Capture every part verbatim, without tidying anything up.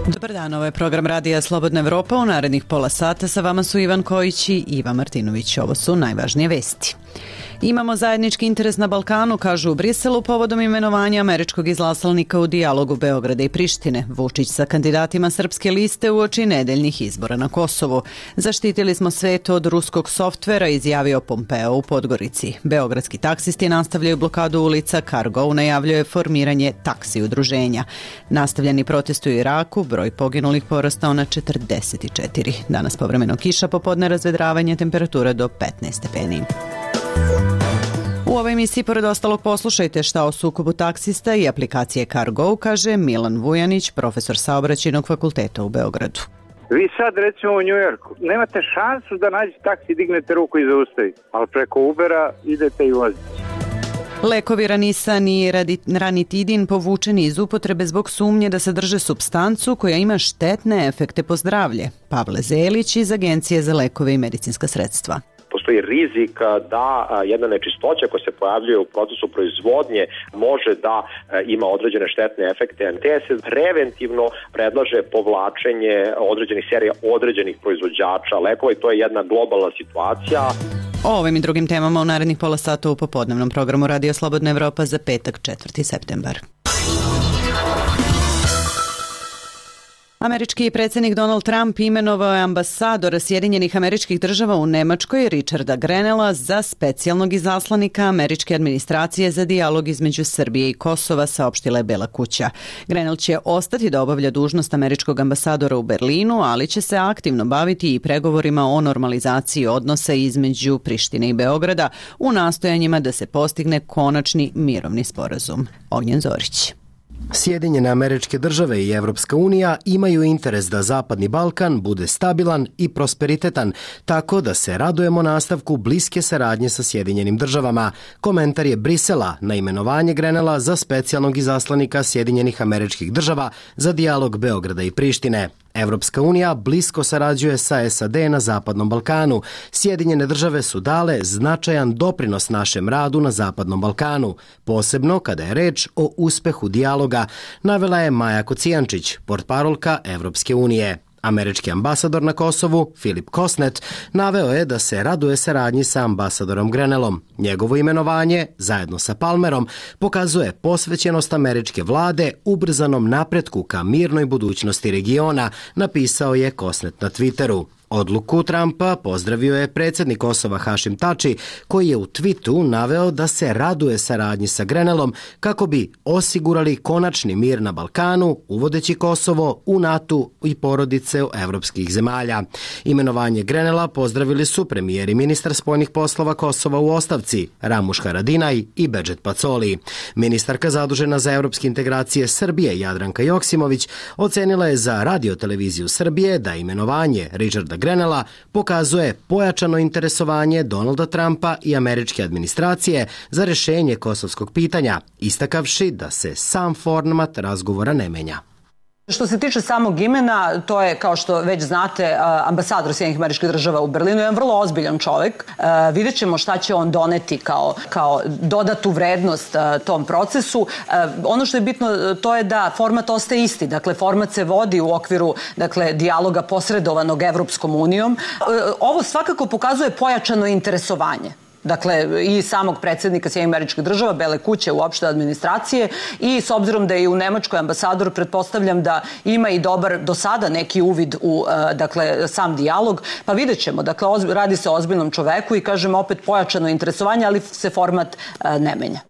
Dobar dan, ovo je program Radija Slobodna Evropa. U narednih pola sata sa vama su Ivan Kojić i Iva Martinović. Ovo su najvažnije vesti. Imamo zajednički interes na Balkanu, kažu u Briselu, povodom imenovanja američkog izaslanika u dijalogu Beograda i Prištine. Vučić sa kandidatima srpske liste uoči nedeljnih izbora na Kosovu. Zaštitili smo svet od ruskog softvera, izjavio Pompeo u Podgorici. Beogradski taksisti nastavljaju blokadu ulica, Cargo najavljuje formiranje taksi udruženja. Nastavljeni protest u Iraku, broj poginulih porastao na četrdeset četiri. Danas povremeno kiša, popodne razvedravanje, temperatura do petnaest stepeni. U ovoj emisiji, pored ostalog, poslušajte šta o sukobu taksista i aplikacije Cargo, kaže Milan Vujanić, profesor saobraćajnog fakulteta u Beogradu. Vi sad, recimo u Njujorku, nemate šansu da nađete taksi, dignete ruku i zaustavite, ali preko Ubera idete i vozite. Lekovi Ranisan i Ranitidin povučeni iz upotrebe zbog sumnje da sadrže supstancu koja ima štetne efekte po zdravlje. Pavle Zelić iz Agencije za lekove i medicinska sredstva. Postoji rizik da jedna nečistoća koja se pojavljuje u procesu proizvodnje može da ima određene štetne efekte. Te se preventivno predlaže povlačenje određenih serija određenih proizvođača lekova i to je jedna globalna situacija. O ovim i drugim temama u narednih pola sata u popodnevnom programu Radio Slobodna Evropa za petak, četvrti septembar. Američki predsjednik Donald Trump imenovao je ambasadora Sjedinjenih Američkih Država u Nemačkoj Richarda Grenella za specijalnog izaslanika američke administracije za dijalog između Srbije i Kosova, saopštila je Bela kuća. Grenell će ostati da obavlja dužnost američkog ambasadora u Berlinu, ali će se aktivno baviti i pregovorima o normalizaciji odnosa između Prištine i Beograda u nastojanjima da se postigne konačni mirovni sporazum. Ognjen Zorić. Sjedinjene Američke Države i Evropska unija imaju interes da Zapadni Balkan bude stabilan i prosperitetan, tako da se radujemo nastavku bliske saradnje sa Sjedinjenim Državama. Komentar je Brisela na imenovanje Grenella za specijalnog izaslanika Sjedinjenih Američkih Država za dijalog Beograda i Prištine. Evropska unija blisko sarađuje sa S A D na Zapadnom Balkanu. Sjedinjene Države su dale značajan doprinos našem radu na Zapadnom Balkanu, posebno kada je reč o uspehu dijaloga, navela je Maja Kocijančić, portparolka Evropske unije. Američki ambasador na Kosovu, Filip Kosnet, naveo je da se raduje saradnji sa ambasadorom Grenellom. Njegovo imenovanje, zajedno sa Palmerom, pokazuje posvećenost američke vlade ubrzanom napretku ka mirnoj budućnosti regiona, napisao je Kosnet na Twitteru. Odluku Trumpa pozdravio je predsjednik Kosova Hašim Tači, koji je u twitu naveo da se raduje saradnji sa Grenellom kako bi osigurali konačni mir na Balkanu, uvodeći Kosovo u NATO i porodice evropskih zemalja. Imenovanje Grenella pozdravili su premijer i ministar spoljnih poslova Kosova u ostavci, Ramuš Haradinaj i Bedžet Pacoli. Ministarka zadužena za evropske integracije Srbije, Jadranka Joksimović, ocenila je za radioteleviziju Srbije da imenovanje Richarda Grenella pokazuje pojačano interesovanje Donalda Trumpa i američke administracije za rješenje kosovskog pitanja, istakavši da se sam format razgovora ne menja. Što se tiče samog imena, to je, kao što već znate, ambasador Sjedinjenih Američkih Država u Berlinu, jedan vrlo ozbiljan čovjek. Vidjet ćemo šta će on doneti kao, kao dodatu vrednost tom procesu. Ono što je bitno, to je da format ostaje isti. Dakle, format se vodi u okviru, dakle, dijaloga posredovanog Evropskom unijom. Ovo svakako pokazuje pojačano interesovanje. Dakle, i samog predsjednika Sjedinjenih Američkih Država, Bele kuće, uopšte administracije, i s obzirom da je u Nemačkoj ambasador, pretpostavljam da ima i dobar do sada neki uvid u, dakle, sam dijalog, pa vidjet ćemo. Dakle, radi se o ozbiljnom čoveku i, kažem, opet pojačano interesovanje, ali se format ne menja.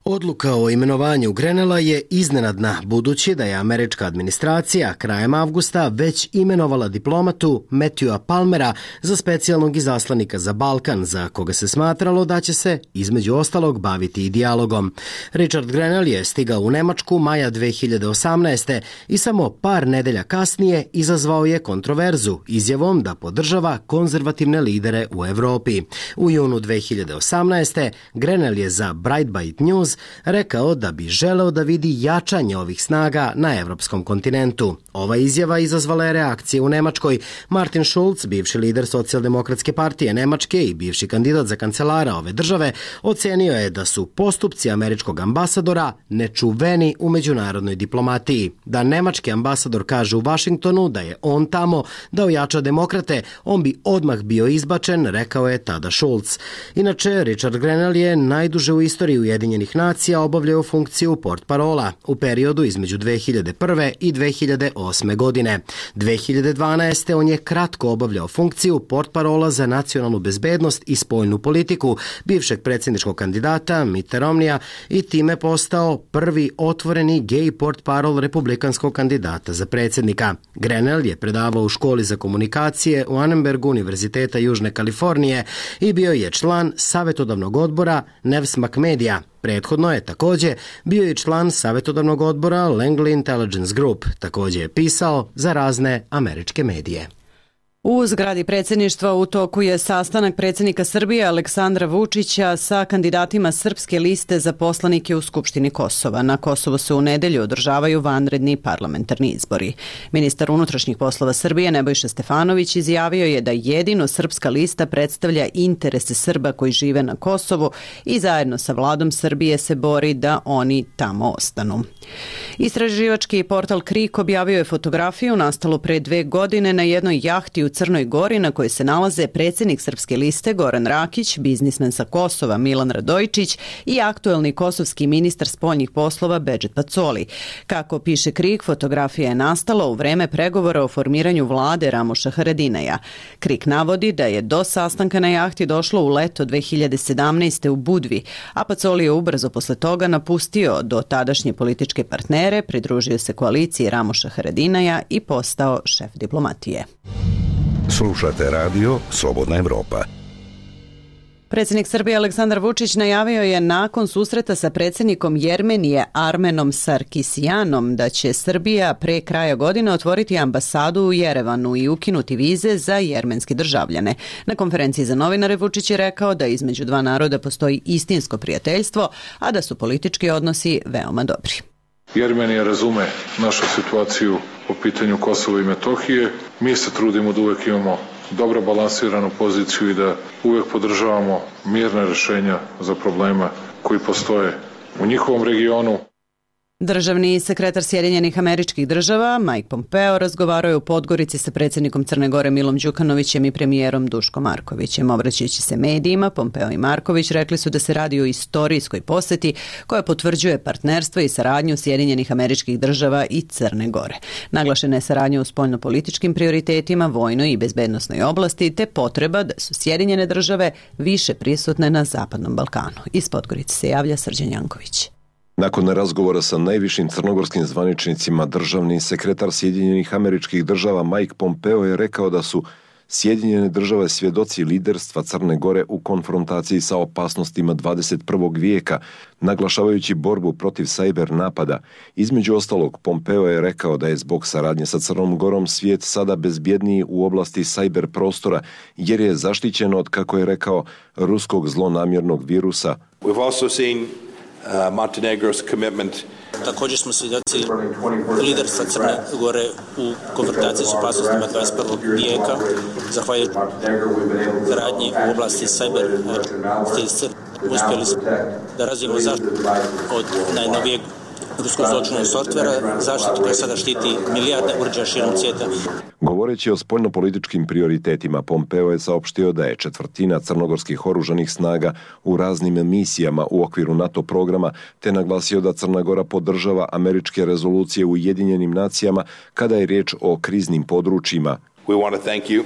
Odluka o imenovanju Grenella je iznenadna, budući da je američka administracija krajem avgusta već imenovala diplomatu Matthewa Palmera za specijalnog izaslanika za Balkan, za koga se smatralo da će se, između ostalog, baviti i dijalogom. Richard Grenell je stigao u Nemačku maja dve hiljade osamnaeste. i samo par nedelja kasnije izazvao je kontroverzu izjavom da podržava konzervativne lidere u Evropi. U junu dve hiljade osamnaeste. Grenell je za Breitbart News Scholz rekao da bi želeo da vidi jačanje ovih snaga na evropskom kontinentu. Ova izjava izazvala je reakcije u Nemačkoj. Martin Schulz, bivši lider Socijaldemokratske partije Nemačke i bivši kandidat za kancelara ove države, ocenio je da su postupci američkog ambasadora nečuveni u međunarodnoj diplomatiji. Da nemački ambasador kaže u Vašingtonu da je on tamo da ojača demokrate, on bi odmah bio izbačen, rekao je tada Schulz. Inače, Richard Grenell je najduže u istoriji Ujedinjenih nacija obavljao funkciju portparola u periodu između dve hiljade prve i dve hiljade osme godine. dve hiljade dvanaeste. on je kratko obavljao funkciju portparola za nacionalnu bezbednost i spoljnu politiku bivšeg predsjedničkog kandidata Mitta Romneya i time postao prvi otvoreni gej portparol republikanskog kandidata za predsjednika. Grenell je predavao u školi za komunikacije u Annenbergu Univerziteta Južne Kalifornije i bio je član savjetodavnog odbora Newsmax Media. Prethodno je također bio i član savjetodavnog odbora Langley Intelligence Group. Također je pisao za razne američke medije. U zgradi predsjedništva u toku je sastanak predsjednika Srbije Aleksandra Vučića sa kandidatima Srpske liste za poslanike u Skupštini Kosova. Na Kosovu se u nedelju održavaju vanredni parlamentarni izbori. Ministar unutrašnjih poslova Srbije Nebojša Stefanović izjavio je da jedino Srpska lista predstavlja interese Srba koji žive na Kosovu i zajedno sa vladom Srbije se bori da oni tamo ostanu. Istraživački portal Krik objavio je fotografiju nastalu pre dve godine na jednoj jahti u Crnoj Gori na kojoj se nalaze predsjednik Srpske liste Goran Rakić, biznismen sa Kosova Milan Radojičić i aktuelni kosovski ministar spoljnih poslova Bedžet Pacoli. Kako piše Krik, fotografija je nastala u vreme pregovora o formiranju vlade Ramuša Haradinaja. Krik navodi da je do sastanka na jahti došlo u leto dve hiljade sedamnaeste. u Budvi, a Pacoli je ubrzo posle toga napustio do tadašnje političke partnere, pridružio se koaliciji Ramuša Haradinaja i postao šef diplomatije. Slušate radio Slobodna Evropa. Predsjednik Srbije Aleksandar Vučić najavio je nakon susreta sa predsjednikom Jermenije Armenom Sarkisjanom da će Srbija pre kraja godine otvoriti ambasadu u Jerevanu i ukinuti vize za jermenske državljane. Na konferenciji za novinare Vučić je rekao da između dva naroda postoji istinsko prijateljstvo, a da su politički odnosi veoma dobri. Jermenija razume našu situaciju po pitanju Kosova i Metohije. Mi se trudimo da uvek imamo dobro balansiranu poziciju i da uvek podržavamo mirne rešenja za problema koji postoje u njihovom regionu. Državni sekretar Sjedinjenih Američkih Država Mike Pompeo razgovarao je u Podgorici sa predsjednikom Crne Gore Milom Đukanovićem i premijerom Duškom Markovićem. Obraćajući se medijima, Pompeo i Marković rekli su da se radi o istorijskoj poseti koja potvrđuje partnerstvo i saradnju Sjedinjenih Američkih Država i Crne Gore. Naglašena je saradnja u spoljnopolitičkim prioritetima, vojnoj i bezbednosnoj oblasti te potreba da su Sjedinjene države više prisutne na Zapadnom Balkanu. Iz Podgorice se javlja Srđan Janković. Nakon razgovora sa najvišim crnogorskim zvaničnicima, državni sekretar Sjedinjenih Američkih Država Mike Pompeo je rekao da su Sjedinjene države svjedoci liderstva Crne Gore u konfrontaciji sa opasnostima dvadeset prvog vijeka, naglašavajući borbu protiv sajber napada. Između ostalog, Pompeo je rekao da je zbog saradnje sa Crnom Gorom svijet sada bezbjedniji u oblasti sajber prostora, jer je zaštićen od, kako je rekao, ruskog zlonamjernog virusa. We've also seen Uh, Montenegro's commitment. Također smo svjedoci liderstva Crne Gore u konfrontaciji s opasnostima dvadeset prvog vijeka, zahvaljujući radnji u oblasti cyber stilstva. Uspjeli smo da razvijemo zaštitu od najnovijeg ruskog zločinnog softvera, zaštitu koja sada štiti milijarde uređaja širom svijeta. Govoreći o spoljnopolitičkim prioritetima, Pompeo je saopštio da je četvrtina crnogorskih oružanih snaga u raznim misijama u okviru NATO programa, te naglasio da Crna Gora podržava američke rezolucije u Ujedinjenim nacijama kada je riječ o kriznim područjima. We want to thank you.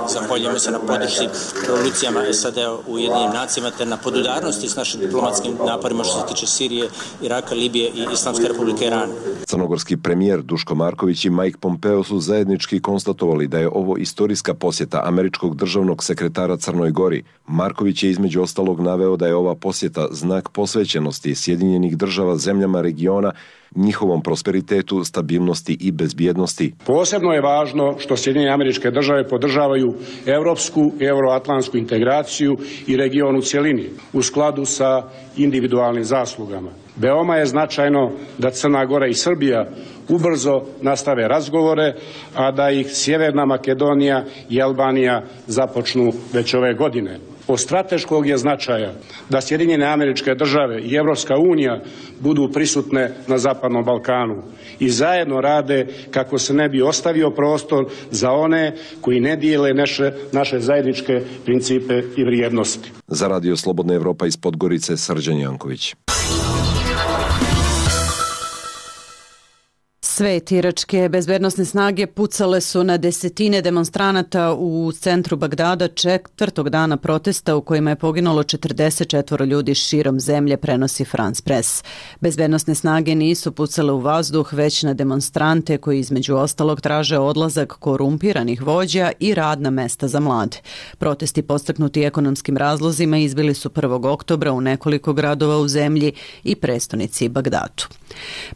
Zahvaljujemo se na podršci rezolucijama S A D-a u Ujedinjenim nacijama te na podudarnosti s našim diplomatskim naporima što se tiče Sirije, Iraka, Libije i Islamske republike Irana. Crnogorski premijer Duško Marković i Mike Pompeo su zajednički konstatovali da je ovo istorijska posjeta američkog državnog sekretara Crnoj Gori. Marković je između ostalog naveo da je ova posjeta znak posvećenosti Sjedinjenih država zemljama regiona, njihovom prosperitetu, stabilnosti i bezbjednosti. Posebno je važno što Sjedinjene Američke Države podržavaju evropsku i euroatlantsku integraciju i region u cjelini u skladu sa individualnim zaslugama. Veoma je značajno da Crna Gora i Srbija ubrzo nastave razgovore, a da ih Sjeverna Makedonija i Albanija započnu već ove godine. Od strateškog je značaja da Sjedinjene Američke Države i Evropska unija budu prisutne na Zapadnom Balkanu i zajedno rade kako se ne bi ostavio prostor za one koji ne dijele naše, naše zajedničke principe i vrijednosti. Za Radio Slobodna Evropa iz Podgorice, Srđan Janković. Svet iračke bezbednosne snage pucale su na desetine demonstranata u centru Bagdada četvrtog dana protesta u kojima je poginulo četrdeset četiri ljudi širom zemlje, prenosi France Press. Bezbednosne snage nisu pucale u vazduh, već na demonstrante koji između ostalog traže odlazak korumpiranih vođa i radna mesta za mlade. Protesti podstaknuti ekonomskim razlozima izbili su prvog oktobra u nekoliko gradova u zemlji i prestonici Bagdadu.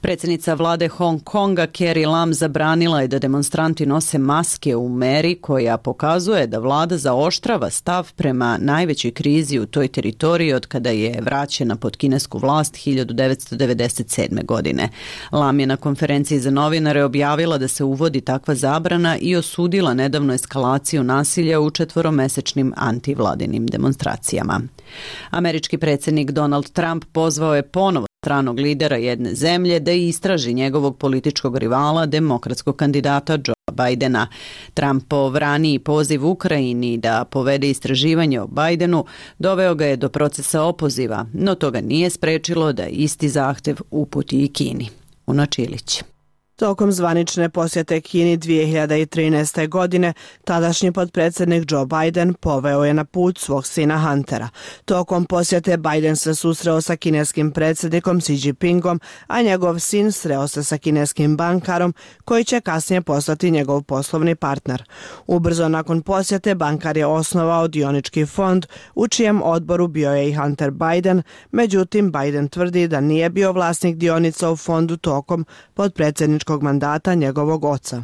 Predsjednica vlade Hong Konga Carrie Lam zabranila je da demonstranti nose maske u meri koja pokazuje da vlada zaoštrava stav prema najvećoj krizi u toj teritoriji od kada je vraćena pod kinesku vlast hiljadu devetsto devedeset sedme. godine. Lam je na konferenciji za novinare objavila da se uvodi takva zabrana i osudila nedavno eskalaciju nasilja u četvoromesečnim antivladinim demonstracijama. Američki predsjednik Donald Trump pozvao je ponovo stranog lidera jedne zemlje da istraži njegovog političkog rivala, demokratskog kandidata Joea Bidena. Trumpov raniji poziv Ukrajini da povede istraživanje o Bidenu doveo ga je do procesa opoziva, no to ga nije sprečilo da isti zahtev uputi i Kini. Uno Čilić. Tokom zvanične posjete Kini dvije hiljade trinaeste. godine, tadašnji potpredsjednik Joe Biden poveo je na put svog sina Huntera. Tokom posjete Biden se susreo sa kineskim predsjednikom Xi Jinpingom, a njegov sin sreo se sa kineskim bankarom koji će kasnije postati njegov poslovni partner. Ubrzo nakon posjete bankar je osnovao dionički fond u čijem odboru bio je i Hunter Biden, međutim Biden tvrdi da nije bio vlasnik dionica u fondu tokom potpredsjedničkog mandata njegovog oca.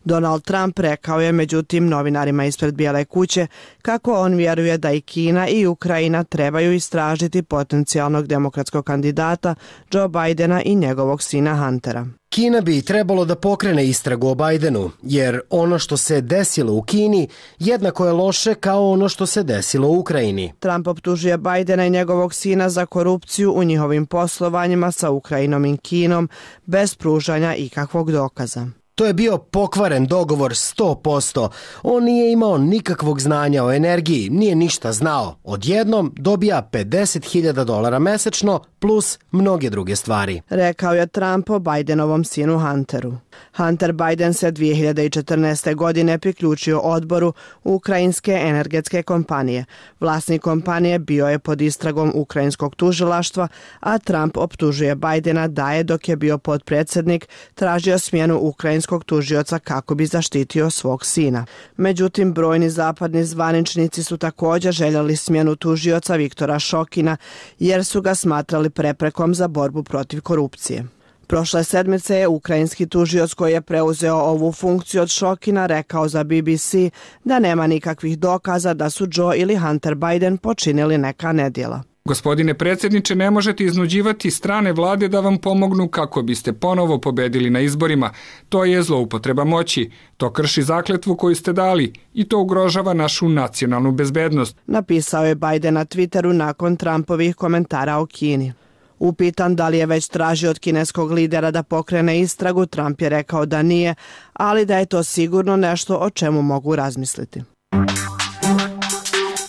Donald Trump rekao je međutim novinarima ispred Bijele kuće kako on vjeruje da i Kina i Ukrajina trebaju istražiti potencijalnog demokratskog kandidata Joe Bidena i njegovog sina Huntera. Kina bi trebalo da pokrene istragu o Bidenu, jer ono što se desilo u Kini jednako je loše kao ono što se desilo u Ukrajini. Trump optužuje Bidena i njegovog sina za korupciju u njihovim poslovanjima sa Ukrajinom i Kinom bez pružanja ikakvog dokaza. To je bio pokvaren dogovor sto posto. On nije imao nikakvog znanja o energiji, nije ništa znao. Odjednom dobija pedeset hiljada dolara mesečno plus mnoge druge stvari. Rekao je Trump o Bidenovom sinu Hunteru. Hunter Biden se dvije hiljade četrnaeste. godine priključio odboru ukrajinske energetske kompanije. Vlasnik kompanije bio je pod istragom ukrajinskog tužilaštva, a Trump optužuje Bidena da je dok je bio potpredsjednik tražio smjenu ukrajinskog tužioca kako bi zaštitio svog sina. Međutim, brojni zapadni zvaničnici su također željeli smjenu tužioca Viktora Šokina jer su ga smatrali preprekom za borbu protiv korupcije. Prošle sedmice je ukrajinski tužioc koji je preuzeo ovu funkciju od Šokina rekao za B B C da nema nikakvih dokaza da su Joe ili Hunter Biden počinili neka nedjela. Gospodine predsjedniče, ne možete iznuđivati strane vlade da vam pomognu kako biste ponovo pobedili na izborima. To je zloupotreba moći. To krši zakletvu koju ste dali i to ugrožava našu nacionalnu bezbednost. Napisao je Biden na Twitteru nakon Trumpovih komentara o Kini. Upitan da li je već tražio od kineskog lidera da pokrene istragu, Trump je rekao da nije, ali da je to sigurno nešto o čemu mogu razmisliti.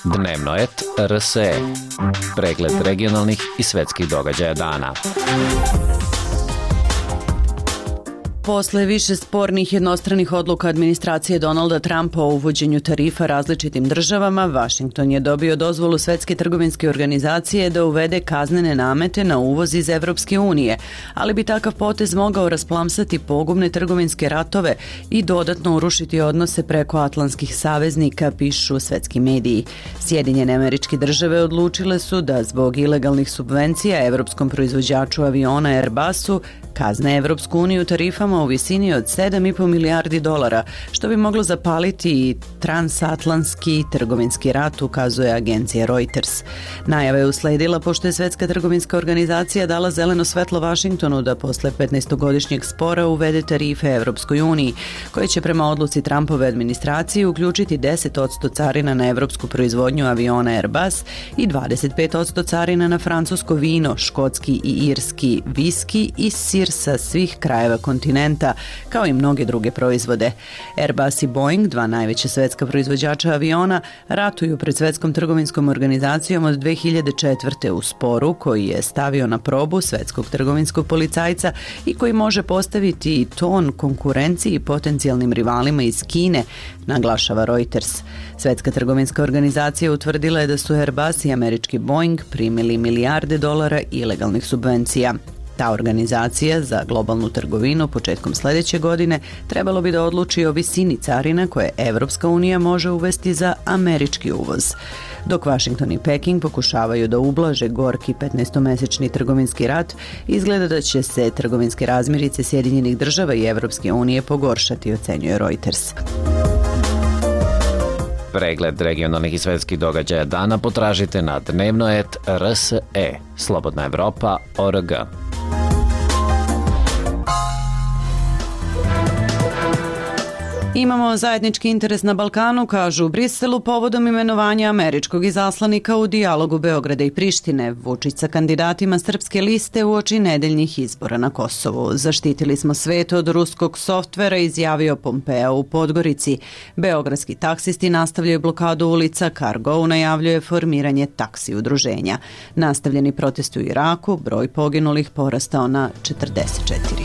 Dnevnoet R S E. Pregled regionalnih i svetskih događaja dana. Posle više spornih jednostranih odluka administracije Donalda Trumpa o uvođenju tarifa različitim državama, Vašington je dobio dozvolu Svetske trgovinske organizacije da uvede kaznene namete na uvoz iz Evropske unije, ali bi takav potez mogao rasplamsati pogubne trgovinske ratove i dodatno urušiti odnose preko atlantskih saveznika, pišu svetski mediji. Sjedinjene Američke Države odlučile su da zbog ilegalnih subvencija evropskom proizvođaču aviona Airbusu kazne Evropsku uniju tarifama u visini od sedam i po milijardi dolara, što bi moglo zapaliti i transatlantski trgovinski rat, ukazuje agencija Reuters. Najava je usledila pošto je Svetska trgovinska organizacija dala zeleno svetlo Vašingtonu da posle petnaestogodišnjeg spora uvede tarife Evropskoj uniji, koje će prema odluci Trumpove administracije uključiti deset posto carina na evropsku proizvodnju aviona Airbus i dvadeset pet posto carina na francusko vino, škotski i irski viski i sir sa svih krajeva kontinenta, kao i mnoge druge proizvode. Airbus i Boeing, dva najveća svetska proizvođača aviona, ratuju pred Svetskom trgovinskom organizacijom od dve hiljade četvrte u sporu koji je stavio na probu svetskog trgovinskog policajca i koji može postaviti ton konkurenciji i potencijalnim rivalima iz Kine, naglašava Reuters. Svetska trgovinska organizacija utvrdila je da su Airbus i američki Boeing primili milijarde dolara ilegalnih subvencija. Ta organizacija za globalnu trgovinu početkom sljedeće godine trebalo bi da odluči o visini carina koje Evropska unija može uvesti za američki uvoz. Dok Vašington i Peking pokušavaju da ublaže gorki petnaestomesečni trgovinski rat, izgleda da će se trgovinske razmirice Sjedinjenih Država i Evropske unije pogoršati, ocenjuje Reuters. Pregled regionalnih i svetskih događaja dana potražite na dnevnoet tačka r s e, slobodna evropa tačka org. Imamo zajednički interes na Balkanu, kažu u Briselu, povodom imenovanja američkog izaslanika u dijalogu Beograda i Prištine. Vučić sa kandidatima srpske liste uoči nedeljnih izbora na Kosovu. Zaštitili smo svet od ruskog softvera, izjavio Pompeo u Podgorici. Beogradski taksisti nastavljaju blokadu ulica, Cargo najavljuje formiranje taksi udruženja. Nastavljeni protesti u Iraku, broj poginulih porastao na četrdeset četiri.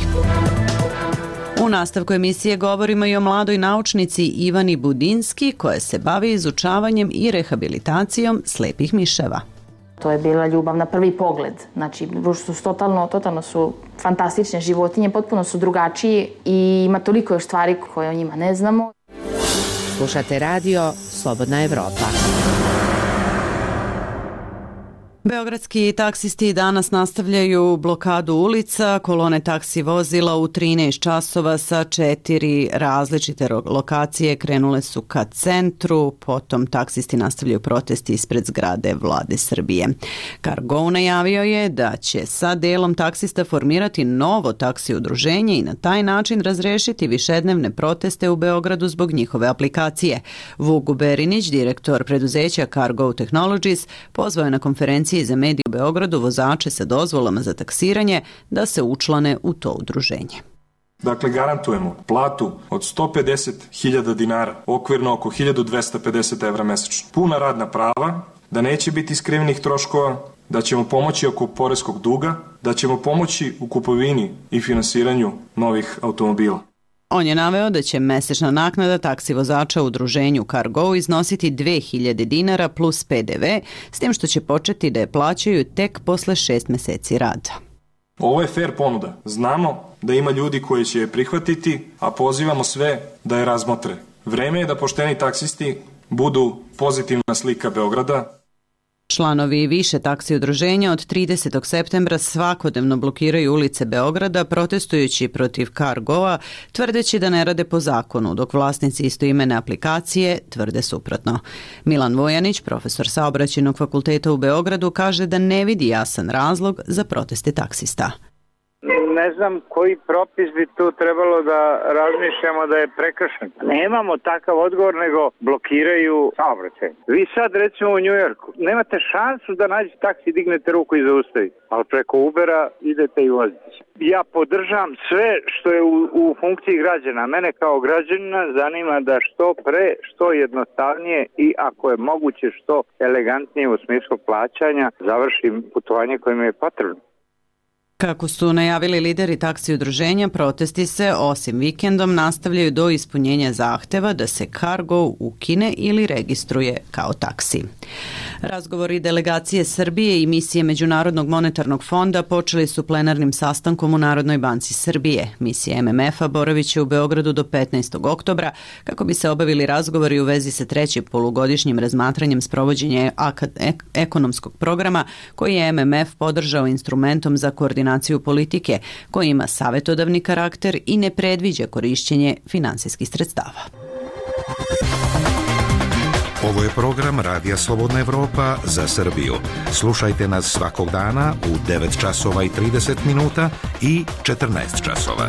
U nastavku emisije govorimo i o mladoj naučnici Ivani Budinski, koja se bavi izučavanjem i rehabilitacijom slepih miševa. To je bila ljubav na prvi pogled. Znači, su totalno, totalno su fantastične životinje, potpuno su drugačiji i ima toliko još stvari koje o njima ne znamo. Slušate radio Slobodna Evropa. Beogradski taksisti danas nastavljaju blokadu ulica, kolone taksi vozila u trinaest časova sa četiri različite lokacije krenule su ka centru, potom taksisti nastavljaju protesti ispred zgrade Vlade Srbije. Cargo najavio je da će sa delom taksista formirati novo taksi udruženje i na taj način razrešiti višednevne proteste u Beogradu zbog njihove aplikacije. Vuk Berinić, direktor preduzeća Cargo Technologies, pozvao je na konferenciji za medije u Beogradu vozače sa dozvolama za taksiranje da se učlane u to udruženje. Dakle, garantujemo platu od sto pedeset hiljada dinara, okvirno oko hiljadu dvesta pedeset evra mesečno. Puna radna prava, da neće biti skrivenih troškova, da ćemo pomoći oko poreskog duga, da ćemo pomoći u kupovini i finansiranju novih automobila. On je naveo da će mesečna naknada taksi vozača u udruženju Cargo iznositi dve hiljade dinara plus pe de ve, s tim što će početi da je plaćaju tek posle šest meseci rada. Ovo je fair ponuda. Znamo da ima ljudi koji će je prihvatiti, a pozivamo sve da je razmotre. Vreme je da pošteni taksisti budu pozitivna slika Beograda. Članovi više taksi udruženja od tridesetog septembra svakodnevno blokiraju ulice Beograda protestujući protiv Cargoa, tvrdeći da ne rade po zakonu, dok vlasnici istoimene aplikacije tvrde suprotno. Milan Vojanić, profesor Saobraćajnog fakulteta u Beogradu, kaže da ne vidi jasan razlog za proteste taksista. Ne znam koji propis bi tu trebalo da razmišljamo da je prekršen. Nemamo takav odgovor, nego blokiraju saobraćaj. Vi sad recimo u Njujorku nemate šansu da nađete taksi, dignete ruku i zaustavite, ali preko Ubera idete i vozite. Ja podržam sve što je u, u funkciji građana. Mene kao građanina zanima da što pre, što jednostavnije i ako je moguće što elegantnije u smislu plaćanja završim putovanje koje mi je potrebno. Kako su najavili lideri taksi udruženja, protesti se osim vikendom nastavljaju do ispunjenja zahteva da se Cargo ukine ili registruje kao taksi. Razgovori delegacije Srbije i misije Međunarodnog monetarnog fonda počeli su plenarnim sastankom u Narodnoj banci Srbije. Misija M M F-a boravit će u Beogradu do petnaestog oktobra kako bi se obavili razgovori u vezi sa trećim polugodišnjim razmatranjem sprovođenja ekonomskog programa koji je M M F podržao instrumentom za koordinaciju politike koji ima savetodavni karakter i ne predviđa korišćenje finansijskih sredstava. Ovo je program Radija Slobodna Evropa za Srbiju. Slušajte nas svakog dana u devet časova i trideset minuta i četrnaest časova.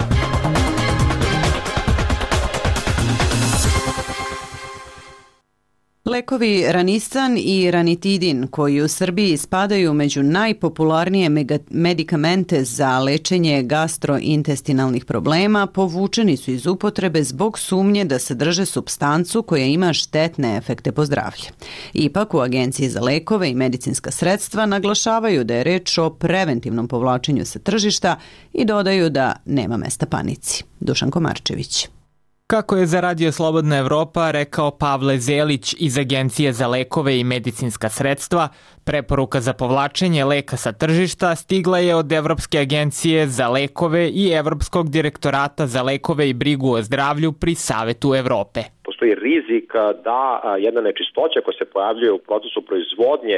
Lekovi Ranisan i Ranitidin, koji u Srbiji spadaju među najpopularnije medikamente za lečenje gastrointestinalnih problema, povučeni su iz upotrebe zbog sumnje da sadrže supstancu koja ima štetne efekte po zdravlje. Ipak u Agenciji za lekove i medicinska sredstva naglašavaju da je reč o preventivnom povlačenju sa tržišta i dodaju da nema mesta panici. Dušan Komarčević. Kako je za Radio Slobodna Evropa rekao Pavle Zelić iz Agencije za lekove i medicinska sredstva, preporuka za povlačenje leka sa tržišta stigla je od Evropske agencije za lekove i Evropskog direktorata za lekove i brigu o zdravlju pri Savetu Evrope. Postoji rizik da jedna nečistoća koja se pojavljuje u procesu proizvodnje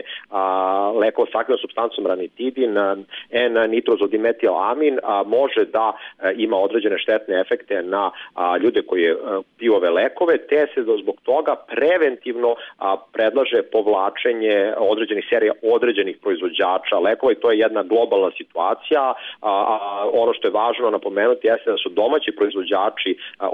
lekova s aktivnom supstancom ranitidin, N-nitrozodimetilamin, može da ima određene štetne efekte na ljude koji piju ove lekove, te se zbog toga preventivno predlaže povlačenje određenih serija određenih proizvođača lekova i to je jedna globalna situacija. Ono što je važno napomenuti jeste da su domaći proizvođači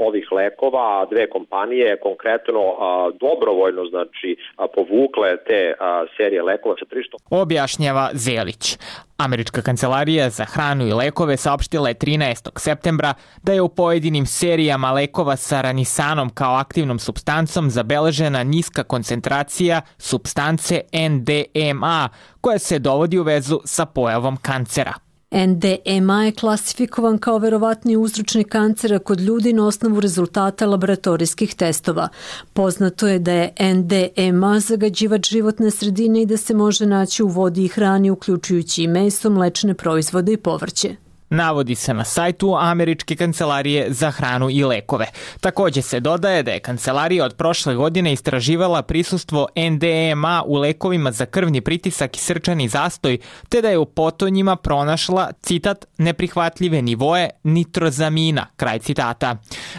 ovih lekova, dve kompanije konkretno a, dobrovoljno znači a, povukle te a, serije lekova sa tržišta. Objašnjava Zelić. Američka kancelarija za hranu i lekove saopštila je trinaestog septembra da je u pojedinim serijama lekova sa ranisanom kao aktivnom supstancom zabeležena niska koncentracija supstance N D M A koja se dovodi u vezu sa pojavom kancera. N D M A je klasifikovan kao verovatni uzročnik kancera kod ljudi na osnovu rezultata laboratorijskih testova. Poznato je da je N D M A zagađivač životne sredine i da se može naći u vodi i hrani, uključujući i meso, mlečne proizvode i povrće. Navodi se na sajtu Američke kancelarije za hranu i lekove. Takođe se dodaje da je kancelarija od prošle godine istraživala prisustvo N D M A u lekovima za krvni pritisak i srčani zastoj, te da je u potonjima pronašla, citat, neprihvatljive nivoe nitrozamina, kraj citata.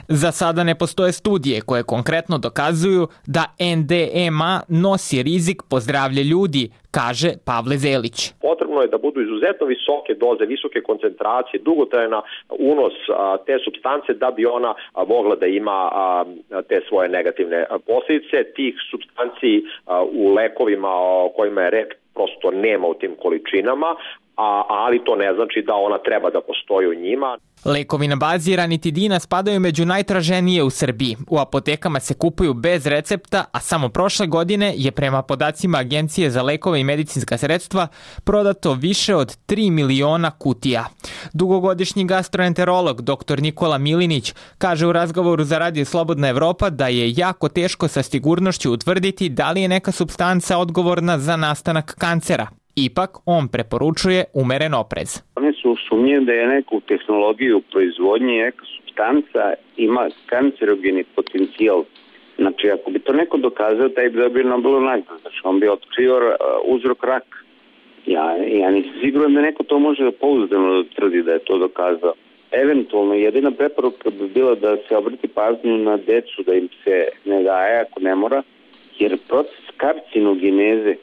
Za sada ne postoje studije koje konkretno dokazuju da N D M A nosi rizik po zdravlje ljudi, kaže Pavle Zelić. Potrebno je da budu izuzetno visoke doze, visoke koncentracije, dugotrajna unos a, te supstance da bi ona a, mogla da ima a, te svoje negativne posljedice. Tih supstanci a, u lekovima o kojima je reč prosto nema u tim količinama, a, ali to ne znači da ona treba da postoji u njima. Lekovi na bazi ranitidina spadaju među najtraženije u Srbiji. U apotekama se kupuju bez recepta, a samo prošle godine je prema podacima Agencije za lekove i medicinska sredstva prodato više od tri miliona kutija. Dugogodišnji gastroenterolog dr. Nikola Milinić kaže u razgovoru za Radio Slobodna Evropa da je jako teško sa sigurnošću utvrditi da li je neka supstanca odgovorna za nastanak kancera. Ipak, on preporučuje umeren oprez. One su sumnje da je neku tehnologiju proizvodnje neka supstanca ima kancerogeni potencijal. Znači, ako bi to neko dokazao, taj bi dobio Nobelovu nagradu. Znači, on bi otkrio uzrok raka. Ja, ja nisam siguran da neko to može da pouzdano tvrdi da je to dokazao. Eventualno, jedina preporuka bi bila da se obrati pažnju na decu, da im se ne daje ako ne mora, jer proces karcinogeneze,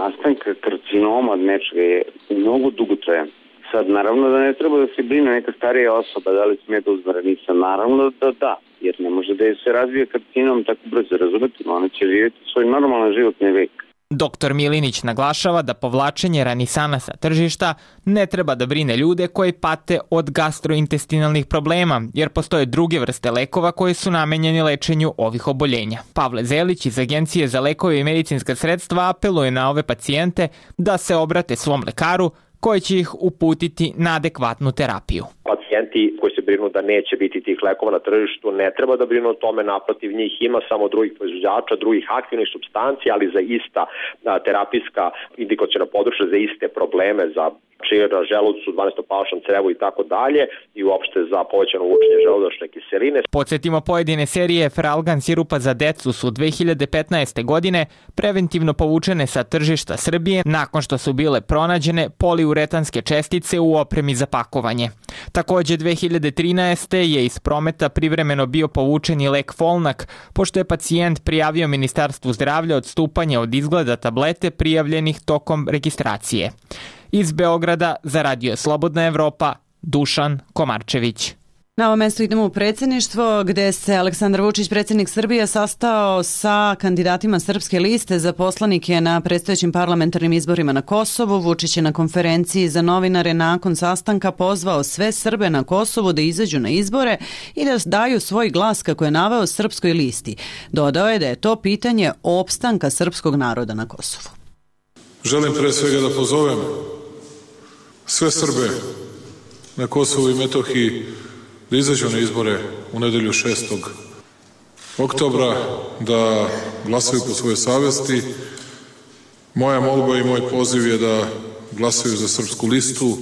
nastanka karcinoma nečega je mnogo dugotrajan. Sad, naravno da ne treba da se brine neka starija osoba, da li smije da uzme Ranisan, naravno da da, jer ne može da je se razvije karcinom tako brzo, razumeti, ona će živjeti svoj normalan životni vek. Doktor Milinić naglašava da povlačenje Ranisana sa tržišta ne treba da brine ljude koji pate od gastrointestinalnih problema, jer postoje druge vrste lekova koje su namenjeni lečenju ovih oboljenja. Pavle Zelić iz Agencije za lekove i medicinska sredstva apeluje na ove pacijente da se obrate svom lekaru koje će ih uputiti na adekvatnu terapiju. Pacijenti koji se brinu da neće biti tih lekova na tržištu ne treba da brinu o tome, naprotiv, njih ima samo drugih proizvođača, drugih aktivnih supstanci, ali za ista terapijska indikaciona područja, za iste probleme, za čir na želucu, dvanaestopalačnom crevu i tako dalje, i uopšte za povećano vučenje želudačne kiseline. Podsjetimo, pojedine serije Fralgan sirupa za decu su dve hiljade petnaeste. godine preventivno povučene sa tržišta Srbije nakon što su bile pronađene poliuretanske čestice u opremi za pakovanje. Takođe, dve hiljade trinaeste. je iz prometa privremeno bio povučen i lek Folnak, pošto je pacijent prijavio Ministarstvu zdravlja odstupanje od izgleda tablete prijavljenih tokom registracije. Iz Beograda za Radio Slobodna Evropa, Dušan Komarčević. Na ovo mesto idemo u predsjedništvo, gde se Aleksandar Vučić, predsjednik Srbije, sastao sa kandidatima Srpske liste za poslanike na predstojećim parlamentarnim izborima na Kosovu. Vučić je na konferenciji za novinare nakon sastanka pozvao sve Srbe na Kosovu da izađu na izbore i da daju svoj glas, kako je naveo, Srpskoj listi. Dodao je da je to pitanje opstanka srpskog naroda na Kosovu. Želim pre svega da pozovem sve Srbe na Kosovu i Metohiji da izađu na izbore u nedelju šestog oktobra, da glasaju po svojoj savesti. Moja molba i moj poziv je da glasaju za Srpsku listu.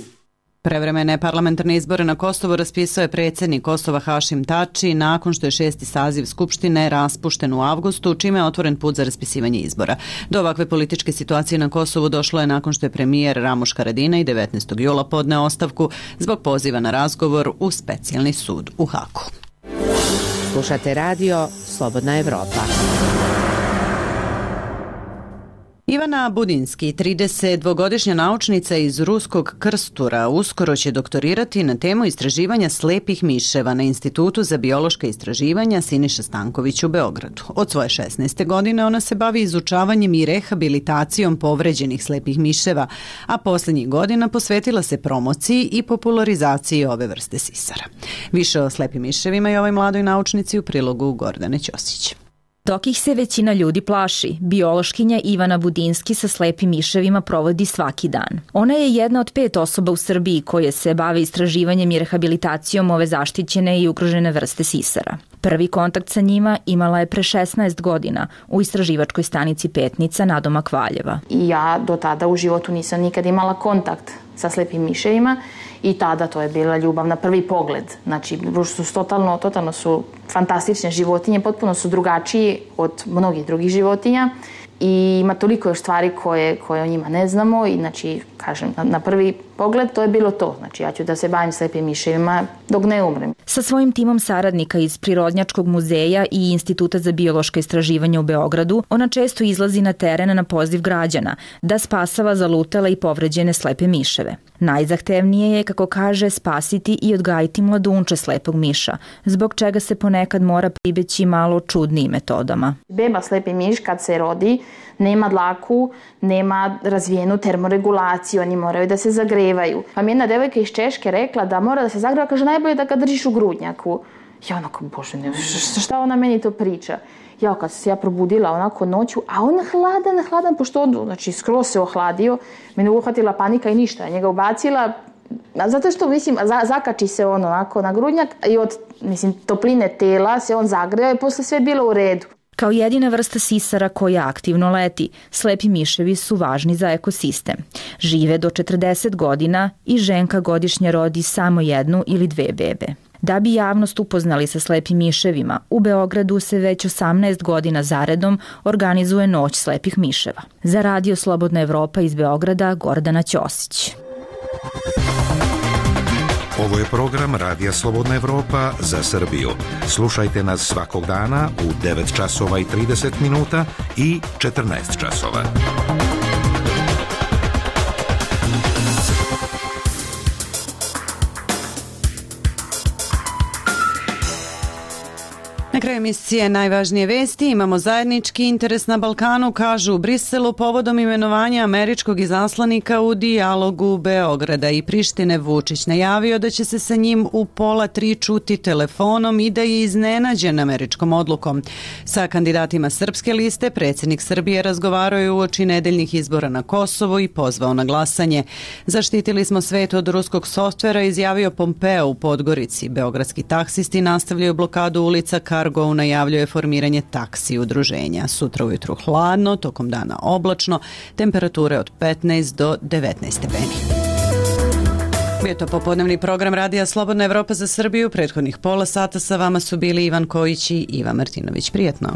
Prevremene parlamentarne izbore na Kosovu raspisao je predsjednik Kosova Hašim Tači nakon što je šesti saziv Skupštine raspušten u avgustu, čime je otvoren put za raspisivanje izbora. Do ovakve političke situacije na Kosovu došlo je nakon što je premijer Ramuš Haradinaj devetnaestog jula podneo ostavku zbog poziva na razgovor u specijalni sud u Haku. Slušate radio Slobodna Evropa. Ivana Budinski, tridesetdvogodišnja naučnica iz ruskog Krstura, uskoro će doktorirati na temu istraživanja slepih miševa na Institutu za biološka istraživanja Siniša Stanković u Beogradu. Od svoje šesnaeste. godine ona se bavi izučavanjem i rehabilitacijom povređenih slepih miševa, a posljednjih godina posvetila se promociji i popularizaciji ove vrste sisara. Više o slepim miševima i ovoj mladoj naučnici u prilogu Gordane Ćosić. Dok ih se većina ljudi plaši, biološkinja Ivana Budinski sa slepim miševima provodi svaki dan. Ona je jedna od pet osoba u Srbiji koje se bave istraživanjem i rehabilitacijom ove zaštićene i ugrožene vrste sisara. Prvi kontakt sa njima imala je pre šesnaest godina u istraživačkoj stanici Petnica nadomak Valjeva. I ja do tada u životu nisam nikad imala kontakt sa slepim miševima i tada to je bila ljubav na prvi pogled. Znači, su totalno, totalno su fantastične životinje, potpuno su drugačiji od mnogih drugih životinja i ima toliko još stvari koje, koje o njima ne znamo i znači, kažem, na, na prvi pogled to je bilo to. Znači, ja ću da se bavim slepim miševima dok ne umrem. Sa svojim timom saradnika iz Prirodnjačkog muzeja i Instituta za biološka istraživanja u Beogradu, ona često izlazi na teren na poziv građana da spasava zalutele i povređene slepe miševe. Najzahtevnije je, kako kaže, spasiti i odgajiti mladunče slepog miša, zbog čega se ponekad mora pribeći malo čudnijim metodama. Beba slepi miš kad se rodi nema dlaku, nema razvijenu termoregulaciju, oni moraju da se zagrevaju. Pa mi jedna devojka iz Češke rekla da mora da se zagreva, kaže najbolje da ga držiš u grudnjaku. Ja onako, bože, ne, šta ona meni to priča? Ja kad se ja probudila onako noću, a on hladan, hladan, pošto on, znači, skroz se ohladio, mene uhvatila panika i ništa, njega ubacila, zato što, mislim, zakači se on onako na grudnjak i od, mislim, topline tela se on zagreva i posle sve bilo u redu. Kao jedina vrsta sisara koja aktivno leti, slepi miševi su važni za ekosistem. Žive do četrdeset godina i ženka godišnje rodi samo jednu ili dve bebe. Da bi javnost upoznali sa slepim miševima, u Beogradu se već osamnaest godina zaredom organizuje Noć slepih miševa. Za Radio Slobodna Evropa iz Beograda, Gordana Ćosić. Ovo je program Radija Slobodna Evropa za Srbiju. Slušajte nas svakog dana u devet časova i trideset minuta i četrnaest časova. Na kraju emisije najvažnije vesti imamo zajednički interes na Balkanu, kažu u Briselu povodom imenovanja američkog izaslanika u dijalogu Beograda i Prištine. Vučić najavio da će se sa njim u pola tri čuti telefonom i da je iznenađen američkom odlukom. Sa kandidatima srpske liste predsjednik Srbije razgovarao je uoči nedeljnih izbora na Kosovu i pozvao na glasanje. Zaštitili smo svet od ruskog softvera, izjavio Pompeo u Podgorici. Beogradski taksisti nastavljaju blokadu ulica Cargo najavljuje formiranje taksi udruženja. Sutra ujutru hladno, tokom dana oblačno, temperature od petnaest do devetnaest stepeni. Bio to popodnevni program Radija Slobodna Evropa za Srbiju. Prethodnih pola sata sa vama su bili Ivan Kojić i Iva Martinović. Prijetno.